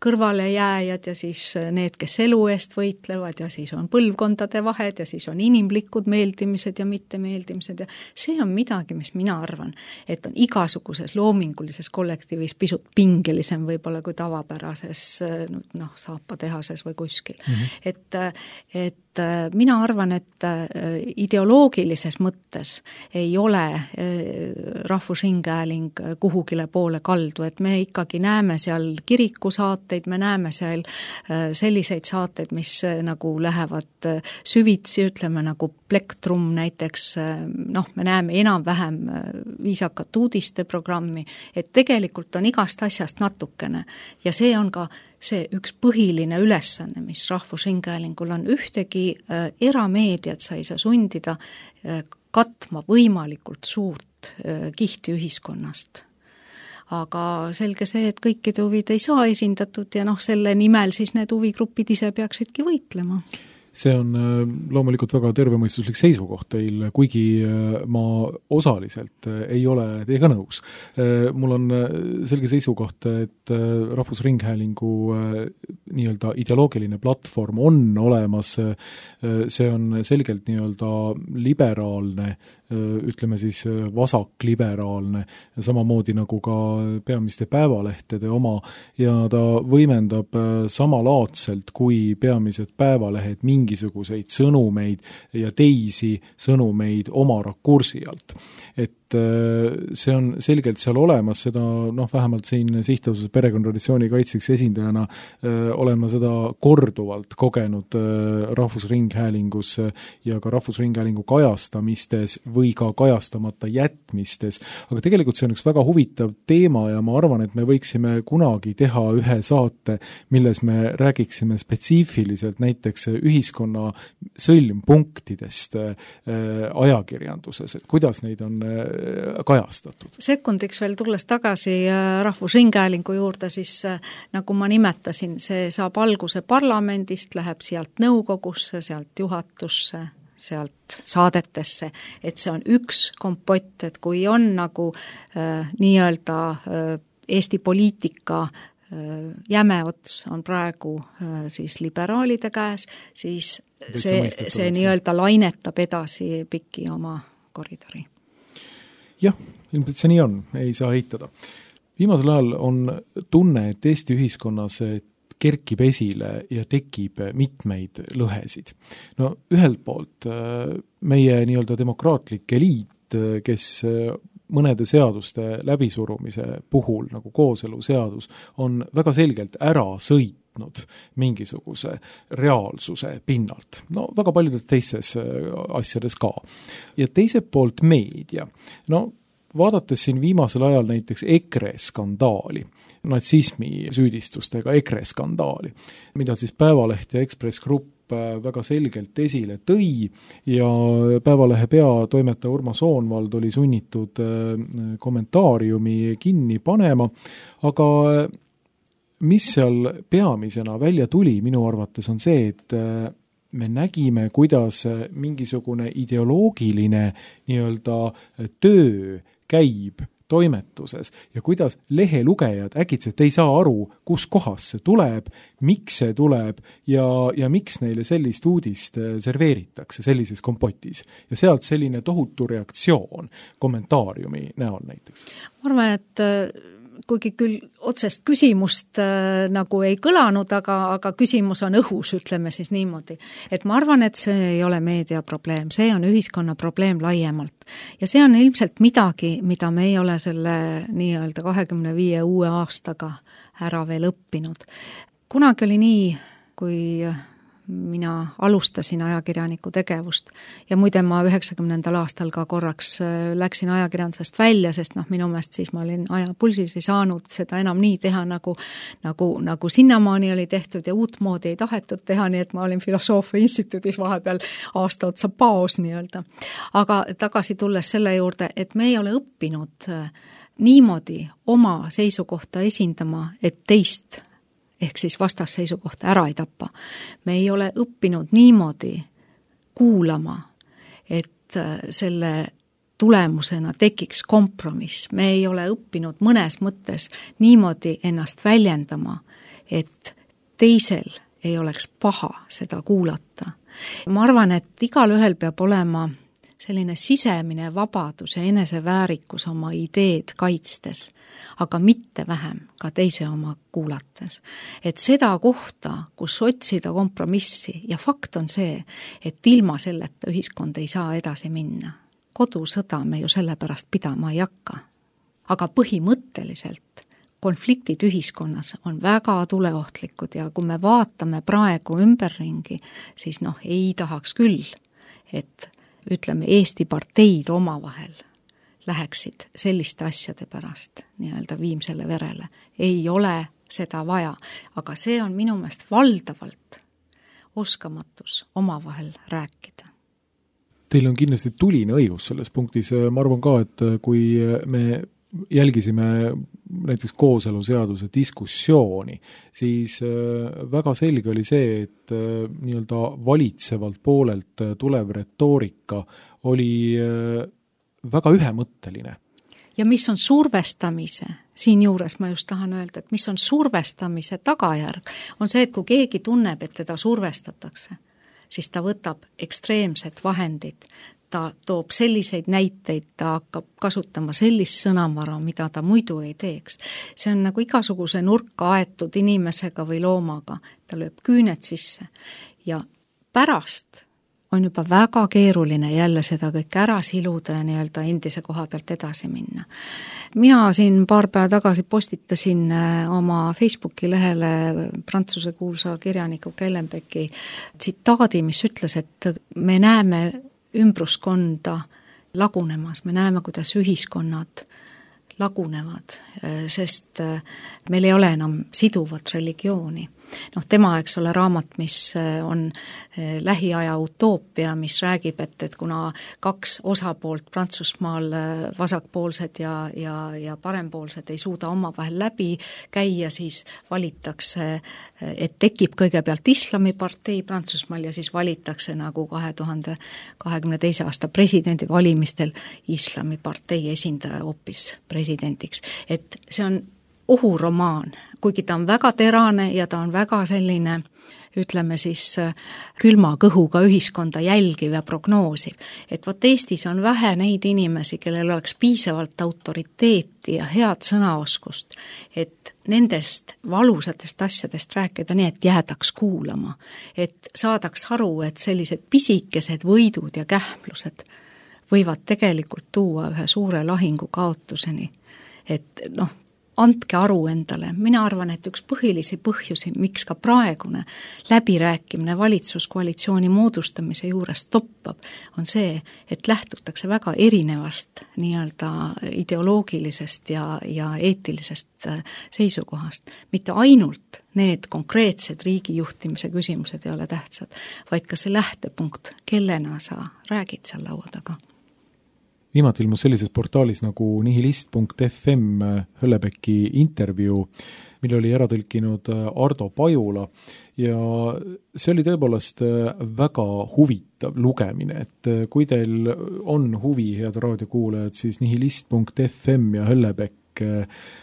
kõrvalejääjad ja siis need, kes elu eest võitlevad ja siis on põlvkondade vahed ja siis on inimlikud meeldimised ja mittemeeldimised ja see on midagi, mis mina arvan, et on igasuguses loomingulises kollektiivis pisut pingelisem võib-olla kui tavapärases noh, saapatehases või kuskil. Mm-hmm. Et, et mina arvan, et ideoloogilises mõttes ei ole Rahvusringhääling kuhugile poole kaldu, et me ikkagi näeme seal kirikusaateid, me näeme seal selliseid saateid, mis nagu lähevad süvitsi, ütleme nagu Plektrum näiteks, noh, me näeme enam-vähem viisakat uudiste programmi, et tegelikult on igast asjast natukene ja see on ka see üks põhiline ülesanne, mis Rahvusringhäälingul on, ühtegi äh, erameediat sa ei saa sundida äh, katma võimalikult suurt äh, kihti ühiskonnast. Aga selge see, et kõikide huvid ei saa esindatud ja noh, selle nimel siis need huvigrupid ise peaksidki võitlema. See on loomulikult väga tervemõistuslik seisukoht teil, kuigi ma osaliselt ei ole teiega nõus. Mul on selge seisukoht, et Rahvusringhäälingu nii-öelda ideoloogiline platvorm on olemas, see on selgelt nii-öelda liberaalne, ütleme siis vasakliberaalne, samamoodi nagu ka peamiste päevalehtede oma ja ta võimendab samalaadselt kui peamised päevalehed mingisuguseid sõnumeid ja teisi sõnumeid oma rakursi alt. Et see on selgelt seal olemas, seda noh, vähemalt siin Sihtasutuse perekonnatraditsiooni kaitseks esindajana öö, olen ma seda korduvalt kogenud öö, Rahvusringhäälingus ja ka Rahvusringhäälingu kajastamistes või ka kajastamata jätmistes. Aga tegelikult see on üks väga huvitav teema ja ma arvan, et me võiksime kunagi teha ühe saate, milles me räägiksime spetsiifiliselt näiteks ühiskonna sõlmpunktidest öö, ajakirjanduses, et kuidas neid on kajastatud. Sekundiks veel tulles tagasi Rahvusringhäälingu juurde, siis nagu ma nimetasin, see saab alguse parlamendist, läheb sealt nõukogusse, sealt juhatusse, sealt saadetesse, et see on üks kompott, et kui on nagu äh, nii-öelda äh, Eesti poliitika jäme ots on praegu äh, siis liberaalide käes, siis see, see nii-öelda lainetab edasi pikki oma koridori. Jah, ilmselt see nii on, ei saa eitada. Viimasel ajal on tunne, et Eesti ühiskonnas kerkib esile ja tekib mitmeid lõhesid. No ühelt poolt meie nii-öelda demokraatlik eliit, kes mõnede seaduste läbisurumise puhul, nagu kooseluseadus, on väga selgelt ära sõitnud mingisuguse reaalsuse pinnalt. No väga paljudes teistes asjades ka. Ja teiselt poolt meedia. No vaadates siin viimasel ajal näiteks EKRE skandaali, natsismi süüdistustega EKRE skandaali, mida siis Päevaleht ja Ekspress Grupp väga selgelt esile tõi ja Päevalehe peatoimetaja Urmas Soonvald oli sunnitud kommentaariumi kinni panema, aga mis seal peamisena välja tuli minu arvates on see, et me nägime, kuidas mingisugune ideoloogiline nii-öelda töö käib toimetuses ja kuidas lehelugejad äkitselt ei saa aru, kus kohas see tuleb, miks see tuleb ja, ja miks neile sellist uudist serveeritakse sellises kompotis. Ja sealt selline tohutu reaktsioon kommentaariumi näol näiteks. Ma arvan, et kuigi küll otsest küsimust äh, nagu ei kõlanud, aga, aga küsimus on õhus, ütleme siis niimoodi. Et ma arvan, et see ei ole meedia probleem, see on ühiskonna probleem laiemalt. Ja see on ilmselt midagi, mida me ei ole selle nii-öelda kahekümne viie uue aastaga ära veel õppinud. Kunagi oli nii, kui mina alustasin ajakirjaniku tegevust ja muide ma üheksakümnendal aastal ka korraks läksin ajakirjandusest välja, sest noh, minu meelest siis ma olin ajapulsis, ei saanud seda enam nii teha, nagu, nagu, nagu sinnamaani oli tehtud ja uut moodi ei tahetud teha, nii et ma olin Filosoofia instituudis vahepeal aasta otsa paos nii-öelda. Aga tagasi tulles selle juurde, et me ei ole õppinud niimoodi oma seisukohta esindama, et teist ehk siis vastasseisukohta ära ei tappa. Me ei ole õppinud niimoodi kuulama, et selle tulemusena tekiks kompromiss. Me ei ole õppinud mõnes mõttes niimoodi ennast väljendama, et teisel ei oleks paha seda kuulata. Ma arvan, et igal ühel peab olema selline sisemine vabadus ja eneseväärikus oma ideed kaitstes, aga mitte vähem ka teise oma kuulates. Et seda kohta, kus otsida kompromissi ja fakt on see, et ilma selleta ühiskond ei saa edasi minna. Kodusõda me ju sellepärast pidama ei hakka. Aga põhimõtteliselt konfliktid ühiskonnas on väga tuleohtlikud ja kui me vaatame praegu ümberringi, siis noh, ei tahaks küll, et ütleme, Eesti parteid omavahel läheksid selliste asjade pärast nii-öelda viimsele verele. Ei ole seda vaja, aga see on minu meelest valdavalt oskamatus omavahel rääkida. Teil on kindlasti tuline õigus selles punktis. Ma arvan ka, et kui me jälgisime näiteks kooseluseaduse diskussiooni, siis väga selge oli see, et nii-öelda valitsevalt poolelt tulev retoorika oli väga ühemõtteline. Ja mis on survestamise, siin juures ma just tahan öelda, et mis on survestamise tagajärg, on see, et kui keegi tunneb, et teda survestatakse, siis ta võtab ekstreemsed vahendid, ta toob selliseid näiteid, ta hakkab kasutama sellist sõnavara, mida ta muidu ei teeks. See on nagu igasuguse nurka aetud inimesega või loomaga, ta lööb küüned sisse ja pärast on juba väga keeruline jälle seda kõik ära siluda ja nii-öelda endise koha pealt edasi minna. Mina siin paar päeva tagasi postitasin oma Facebooki lehele prantsuse kuulsa kirjaniku Kellenbecki tsitaadi, mis ütles, et me näeme ümbruskonda lagunemas, me näeme, kuidas ühiskonnad lagunevad, sest meil ei ole enam siduvat religiooni. Noh, tema, eks ole, raamat, mis on lähiaja utoopia, mis räägib, et, et kuna kaks osapoolt Prantsusmaal, vasakpoolsed ja, ja, ja parempoolsed ei suuda omavahel läbi käia, siis valitakse, et tekib kõigepealt islamipartei Prantsusmaal ja siis valitakse nagu kahe tuhande kahekümne teise aasta presidendi valimistel islamipartei esindaja hoopis presidendiks. Et see on ohuromaan, kuigi ta on väga terane ja ta on väga selline, ütleme siis, külma kõhuga ühiskonda jälgiv ja prognoosiv. Et vot Eestis on vähe neid inimesi, kellel oleks piisavalt autoriteeti ja head sõnaoskust, et nendest valusatest asjadest rääkida nii, et jäädaks kuulama, et saadaks aru, et sellised pisikesed võidud ja kähmlused võivad tegelikult tuua ühe suure lahingu kaotuseni. Et noh, andke aru endale. Mina arvan, et üks põhilisi põhjusi, miks ka praegune läbirääkimine valitsuskoalitsiooni moodustamise juures toppab, on see, et lähtutakse väga erinevast nii-öelda ideoloogilisest ja, ja eetilisest seisukohast. Mitte ainult need konkreetsed riigijuhtimise küsimused ei ole tähtsad, vaid ka see lähtepunkt, kellena sa räägid seal laua taga. Viimati ilmus sellises portaalis nagu nihilist punkt f m Höllebecki intervjuu, mille oli ära tõlkinud Ardo Pajula ja see oli tõepoolest väga huvitav lugemine, et kui teil on huvi, head raadiokuulajad, siis nihilist punkt f m ja Höllebeck,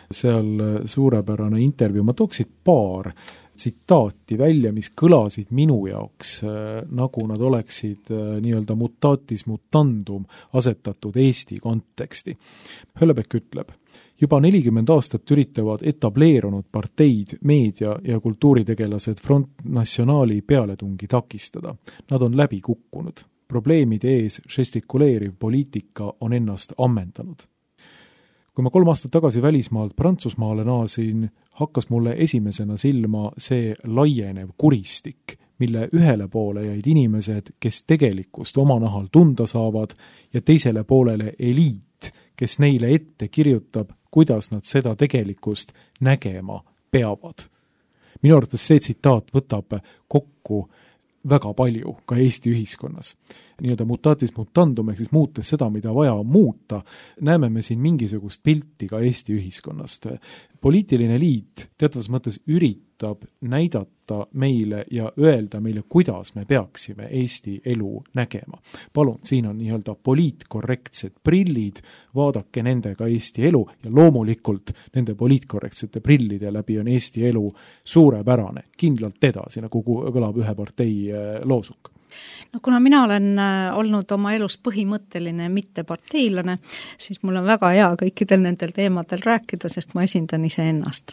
seal suurepärane intervjuu, ma tooksid paar tsitaati välja, mis kõlasid minu jaoks, nagu nad oleksid nii-öelda mutatis mutandum asetatud Eesti konteksti. Höllebeck ütleb, juba nelikümmend aastat üritavad etableerunud parteid, meedia ja kultuuritegelased Front Nationali pealetungi takistada. Nad on läbi kukkunud. Probleemide ees žestikuleeriv poliitika on ennast ammendanud. Kui ma kolm aastat tagasi välismaalt Prantsusmaale naasin, hakkas mulle esimesena silma see laienev kuristik, mille ühele poole jäid inimesed, kes tegelikkust oma nahal tunda saavad, ja teisele poolele eliit, kes neile ette kirjutab, kuidas nad seda tegelikkust nägema peavad. Minu arvates see tsitaat võtab kokku väga palju ka Eesti ühiskonnas. Nii-öelda mutatis mutandum, ehk siis muutes seda, mida vaja muuta, näeme me siin mingisugust pilti ka Eesti ühiskonnast. Poliitiline liit teatavas mõttes üritab näidata meile ja öelda meile, kuidas me peaksime Eesti elu nägema. Palun, siin on nii-öelda poliitkorrektsed prillid, vaadake nendega Eesti elu ja loomulikult nende poliitkorrektsete prillide läbi on Eesti elu suurepärane, kindlalt edasi, nagu kõlab ühe partei loosung. No kuna mina olen olnud oma elus põhimõtteline mitteparteilane, siis mul on väga hea kõikidel nendel teemadel rääkida, sest ma esindan ise ennast.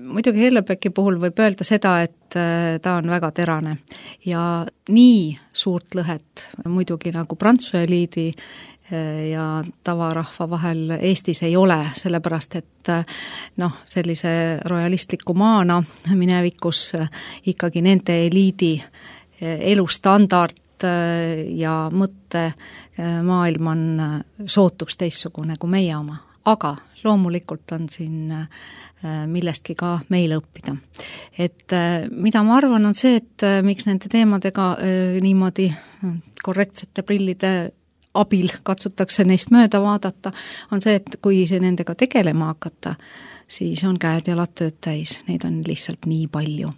Muidugi Hellebecki puhul võib öelda seda, et ta on väga terane ja nii suurt lõhet muidugi nagu Prantsuse eliidi ja tavarahva vahel Eestis ei ole, sellepärast et noh, sellise rojalistliku maana minevikus ikkagi nende eliidi elustandard ja mõtte maailm on sootuks teistsugune kui meie oma. Aga loomulikult on siin millestki ka meile õppida. Et mida ma arvan on see, et miks nende teemadega niimoodi korrektsete prillide abil katsutakse neist mööda vaadata, on see, et kui see nendega tegelema hakata, siis on käed jalad tööd täis, neid on lihtsalt nii palju.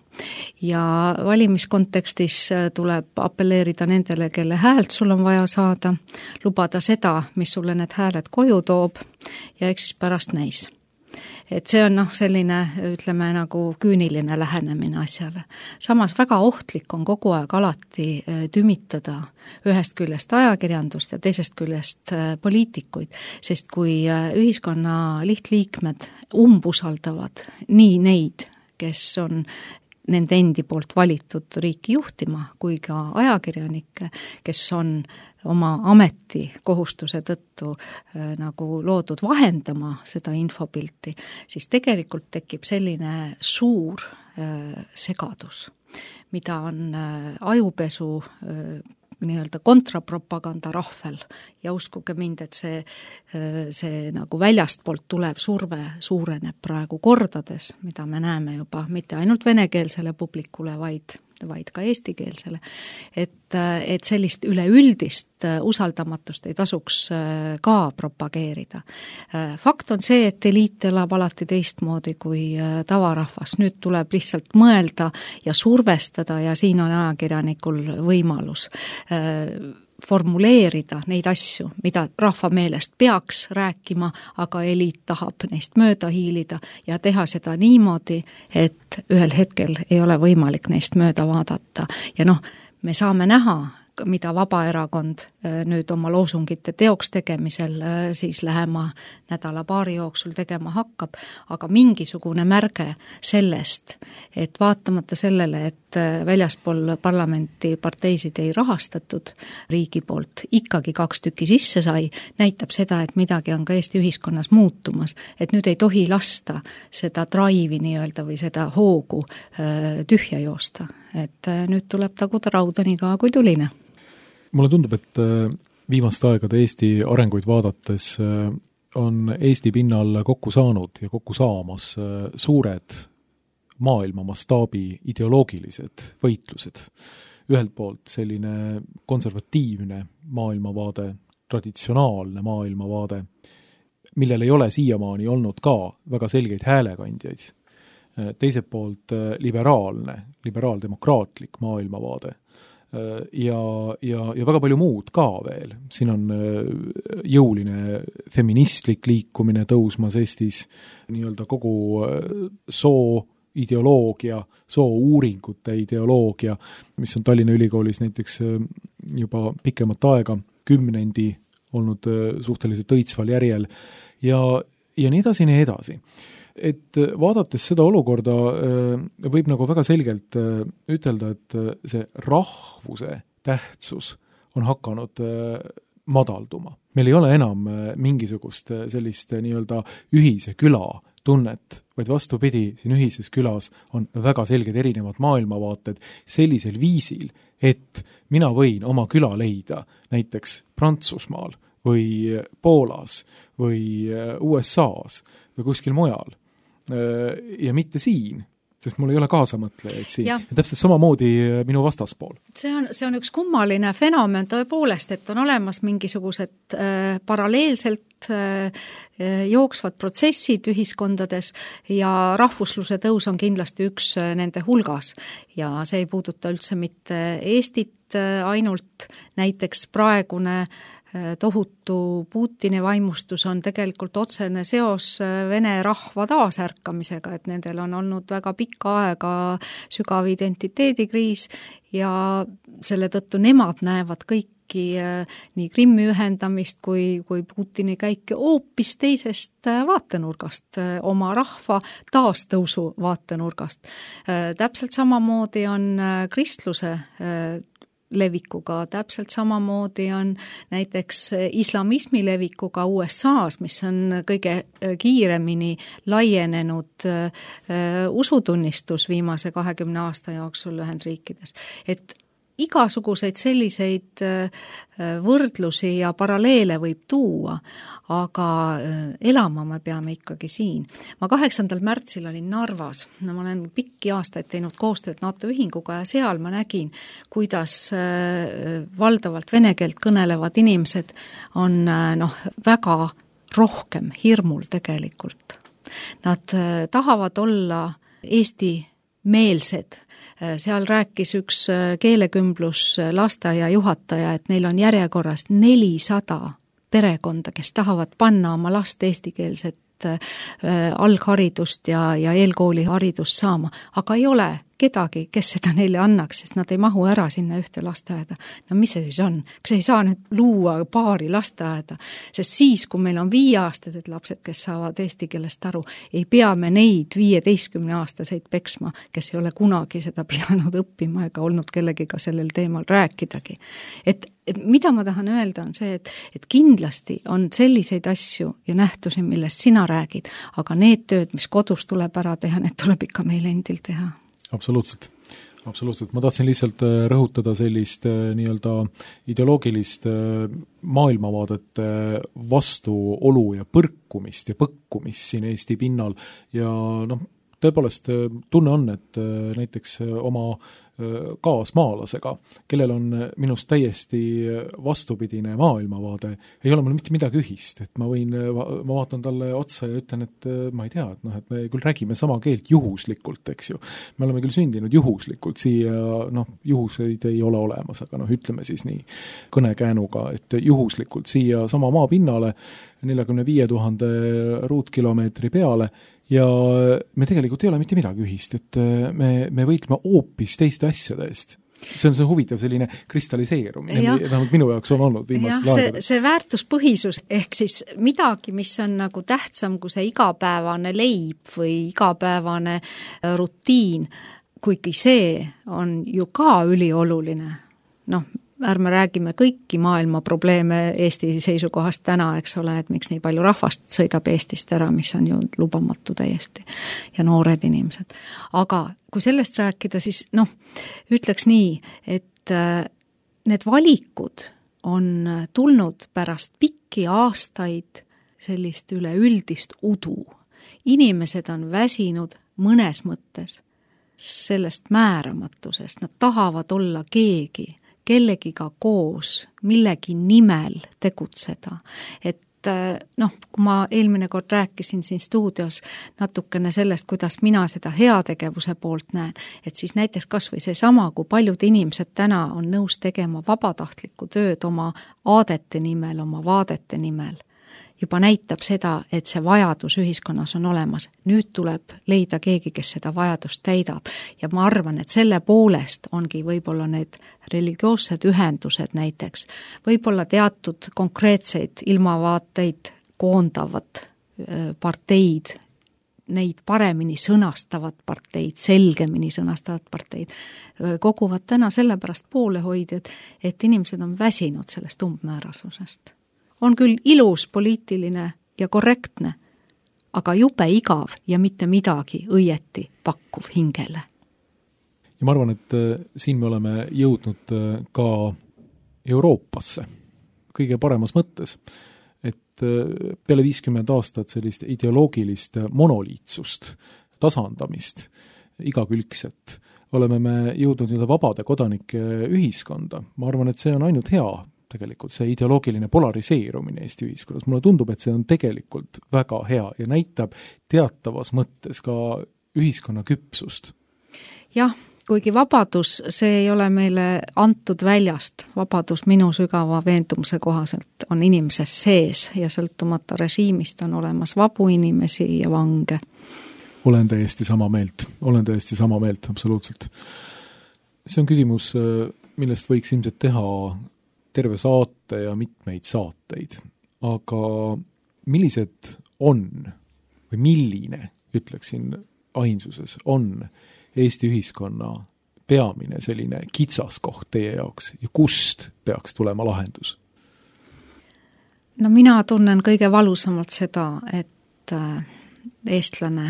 Ja valimiskontekstis tuleb appelleerida nendele, kelle häält sul on vaja saada, lubada seda, mis sulle need hääled koju toob ja eks siis pärast näis. Et see on noh, selline, ütleme, nagu küüniline lähenemine asjale. Samas väga ohtlik on kogu aeg alati tümitada ühest küljest ajakirjandust ja teisest küljest poliitikuid, sest kui ühiskonna lihtliikmed umbusaldavad nii neid, kes on nende endi poolt valitud riiki juhtima, kui ka ajakirjanikke, kes on oma ameti kohustuse tõttu äh, nagu loodud vahendama seda infopilti, siis tegelikult tekib selline suur äh, segadus, mida on äh, ajupesu äh, nii-öelda kontrapropaganda rahvel ja uskuge mind, et see, see nagu väljastpoolt tulev surve suureneb praegu kordades, mida me näeme juba mitte ainult venekeelsele publikule, vaid vaid ka eestikeelsele, et, et sellist üleüldist usaldamatust ei tasuks ka propageerida. Fakt on see, et eliit elab alati teistmoodi kui tavarahvas. Nüüd tuleb lihtsalt mõelda ja survestada ja siin on ajakirjanikul võimalus formuleerida neid asju, mida rahva meelest peaks rääkima, aga eliit tahab neist mööda hiilida ja teha seda niimoodi, et ühel hetkel ei ole võimalik neist mööda vaadata. Ja noh, me saame näha, mida Vabaerakond nüüd oma loosungite teoks tegemisel siis lähema nädala paari jooksul tegema hakkab, aga mingisugune märge sellest, et vaatamata sellele, et väljaspool parlamenti parteisid ei rahastatud riigi poolt, ikkagi kaks tükki sisse sai, näitab seda, et midagi on ka Eesti ühiskonnas muutumas, et nüüd ei tohi lasta seda drive'i nii-öelda või seda hoogu tühja joosta, et nüüd tuleb taguda rauda nii ka kui tuline. Mulle tundub, et viimaste aegade Eesti arenguid vaadates on Eesti pinnal kokku saanud ja kokku saamas suured maailma mastaabi ideoloogilised võitlused. Ühelt poolt selline konservatiivne maailmavaade, traditsionaalne maailmavaade, millel ei ole siiamaani olnud ka väga selgeid häälekandjaid. Teiselt poolt liberaalne, liberaaldemokraatlik maailmavaade. Ja, ja, ja väga palju muud ka veel. Siin on jõuline feministlik liikumine tõusmas Eestis, nii-öelda kogu soo ideoloogia, soouuringute ideoloogia, mis on Tallinna Ülikoolis näiteks juba pikemat aega, kümnendi olnud suhteliselt õitsval järjel ja, ja nii edasi, nii edasi. Et vaadates seda olukorda võib nagu väga selgelt ütelda, et see rahvuse tähtsus on hakanud madalduma. Meil ei ole enam mingisugust sellist nii-öelda ühise küla tunnet, vaid vastupidi, siin ühises külas on väga selged erinevad maailmavaated sellisel viisil, et mina võin oma küla leida näiteks Prantsusmaal või Poolas või U S A-s või kuskil mujal ja mitte siin, sest mul ei ole kaasamõtlejaid siin. Ja täpselt samamoodi minu vastaspool. See on, see on üks kummaline fenomen tõepoolest, et on olemas mingisugused äh, paralleelselt äh, jooksvad protsessid ühiskondades ja rahvusluse tõus on kindlasti üks äh, nende hulgas. Ja see ei puuduta üldse mitte Eestit äh, ainult, näiteks praegune tohutu Putini vaimustus on tegelikult otsene seos vene rahva taasärkamisega, et nendel on olnud väga pikka aega sügav identiteedikriis ja selle tõttu nemad näevad kõiki nii Krimmi ühendamist kui, kui Putini käike hoopis teisest vaatenurgast, oma rahva taastõusu vaatenurgast. Täpselt samamoodi on kristluse levikuga, täpselt samamoodi on näiteks islamismi levikuga U S A-s, mis on kõige kiiremini laienenud usutunnistus viimase kahekümne aasta jooksul Ühendriikides. Et igasuguseid selliseid võrdlusi ja paralleele võib tuua, aga elama me peame ikkagi siin. Ma kaheksandal märtsil olin Narvas, no, ma olen pikki aastaid teinud koostööd NATO ühinguga ja seal ma nägin, kuidas valdavalt vene keelt kõnelevad inimesed on noh, väga rohkem hirmul tegelikult. Nad tahavad olla Eesti meelsed. Seal rääkis üks keelekümblus lasteaia juhataja, et neil on järjekorras nelisada perekonda, kes tahavad panna oma last eestikeelset algharidust ja, ja eelkooli haridust saama, aga ei ole kedagi, kes seda neile annaks, sest nad ei mahu ära sinna ühte lasteaeda. No mis see siis on? Kas ei saa nüüd luua paari lasteaeda? Sest siis, kui meil on viieaastased lapsed, kes saavad eesti keelest aru, ei pea me neid viieteistkümne aastaseid peksma, kes ei ole kunagi seda pidanud õppima ega olnud kellegiga sellel teemal rääkidagi. Et, et mida ma tahan öelda on see, et, et kindlasti on selliseid asju ja nähtusi, millest sina räägid, aga need tööd, mis kodus tuleb ära teha, need tuleb ikka meil endil teha. Absoluutselt, absoluutselt. Ma tahtsin lihtsalt rõhutada sellist nii-öelda ideoloogilist maailmavaadete vastuolu ja põrkumist ja põkkumist siin Eesti pinnal ja noh, tõepoolest tunne on, et näiteks oma kaasmaalasega, kellel on minust täiesti vastupidine maailmavaade, ei ole mul mitte midagi ühist, et ma võin, ma vaatan talle otsa ja ütlen, et ma ei tea, et noh, et me küll räägime sama keelt juhuslikult, eks ju. Me oleme küll sündinud juhuslikult, siia noh, juhuseid ei ole olemas, aga noh, ütleme siis nii kõnekäänuga, et juhuslikult siia sama maapinnale neljakümne viie tuhande ruutkilomeetri peale ja me tegelikult ei ole mitte midagi ühist, et me, me võitleme hoopis teiste asjade eest. See on see huvitav selline kristalliseerumine, vähemalt minu jaoks on olnud viimastel aegadel. See, see väärtuspõhisus ehk siis midagi, mis on nagu tähtsam kui see igapäevane leib või igapäevane rutiin, kuigi see on ju ka ülioluline. Noh, ärme räägime kõiki maailma probleeme Eesti seisukohast täna, eks ole, et miks nii palju rahvast sõidab Eestist ära, mis on ju lubamatu täiesti ja noored inimesed. Aga kui sellest rääkida, siis noh, ütleks nii, et need valikud on tulnud pärast pikki aastaid sellist üleüldist udu. Inimesed on väsinud mõnes mõttes sellest määramatusest, nad tahavad olla keegi, kellegiga koos, millegi nimel tegutseda. Et noh, kui ma eelmine kord rääkisin siin stuudios natukene sellest, kuidas mina seda heategevuse poolt näen, et siis näiteks kas või see sama, kui paljud inimesed täna on nõus tegema vabatahtlikku tööd oma aadete nimel, oma vaadete nimel. juba näitab seda, et see vajadus ühiskonnas on olemas. Nüüd tuleb leida keegi, kes seda vajadust täidab. Ja ma arvan, et selle poolest ongi võib-olla need religioossed ühendused näiteks, võib-olla teatud konkreetseid ilmavaateid koondavad parteid, neid paremini sõnastavad parteid, selgemini sõnastavad parteid, koguvad täna sellepärast poolehoidjad, et inimesed on väsinud sellest umbmäärasusest. On küll ilus, poliitiline ja korrektne, aga jube igav ja mitte midagi õieti pakkuv hingele. Ja ma arvan, et siin me oleme jõudnud ka Euroopasse kõige paremas mõttes, et peale viiskümmend aastat sellist ideoloogilist monoliitsust, tasandamist, igakülgset, oleme me jõudnud nii vabade kodanike ühiskonda. Ma arvan, et see on ainult hea, tegelikult see ideoloogiline polariseerumine Eesti ühiskonnas. Mulle tundub, et see on tegelikult väga hea ja näitab teatavas mõttes ka ühiskonna küpsust. Jah, kuigi vabadus, see ei ole meile antud väljast. Vabadus minu sügava veendumuse kohaselt on inimeses sees ja sõltumata režiimist on olemas vabu inimesi ja vange. Olen täiesti sama meelt, olen täiesti sama meelt, absoluutselt. See on küsimus, millest võiks ilmselt teha terve saate ja mitmeid saateid. Aga millised on või milline, ütleksin ainsuses, on Eesti ühiskonna peamine selline kitsaskoht teie jaoks ja kust peaks tulema lahendus? No mina tunnen kõige valusamalt seda, et eestlane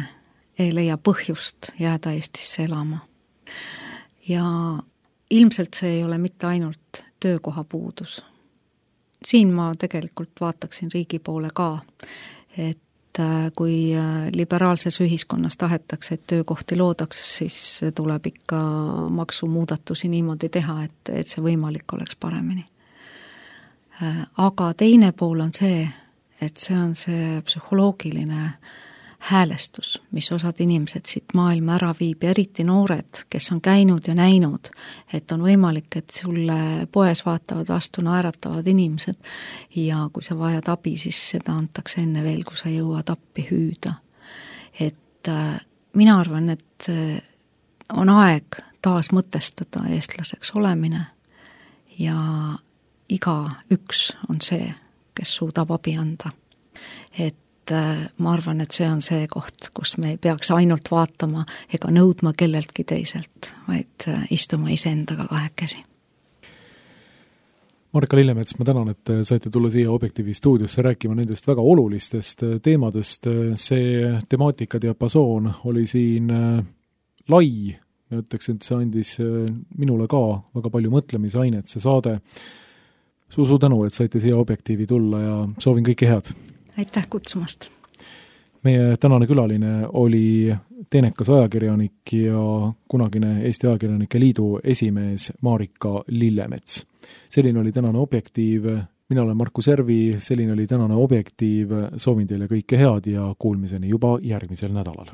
ei leia põhjust jääda Eestisse elama. Ja ilmselt see ei ole mitte ainult töökoha puudus. Siin ma tegelikult vaataksin riigi poole ka, et kui liberaalses ühiskonnas tahetakse, et töökohti loodaks, siis tuleb ikka maksumuudatusi niimoodi teha, et, et see võimalik oleks paremini. Aga teine pool on see, et see on see psühholoogiline häälestus, mis osad inimesed siit maailma ära viib ja eriti noored, kes on käinud ja näinud, et on võimalik, et sulle poes vaatavad vastu naeratavad inimesed ja kui sa vajad abi, siis seda antakse enne veel, kui sa jõuad appi hüüda. Et äh, mina arvan, et on aeg taas mõtestada eestlaseks olemine ja iga üks on see, kes suudab abi anda. Et ma arvan, et see on see koht, kus me ei peaks ainult vaatama ega nõudma kelleltki teiselt, vaid istuma iseendaga kahekesi. Marika Lillemets, ma tänan, et saite tulla siia Objektiivi stuudiosse rääkima nendest väga olulistest teemadest. See temaatika diapasoon oli siin lai. Ma ütleks, et see andis minule ka väga palju mõtlemisainet, see saade. Suu-suu tänu, et saite siia Objektiivi tulla ja soovin kõike head. Aitäh kutsumast. Meie tänane külaline oli teenekas ajakirjanik ja kunagine Eesti Ajakirjanike Liidu esimees Marika Lillemets. Selline oli tänane Objektiiv. Mina olen Markus Järvi, selline oli tänane Objektiiv. Soovin teile kõike head ja kuulmiseni juba järgmisel nädalal.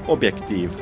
Objektiiv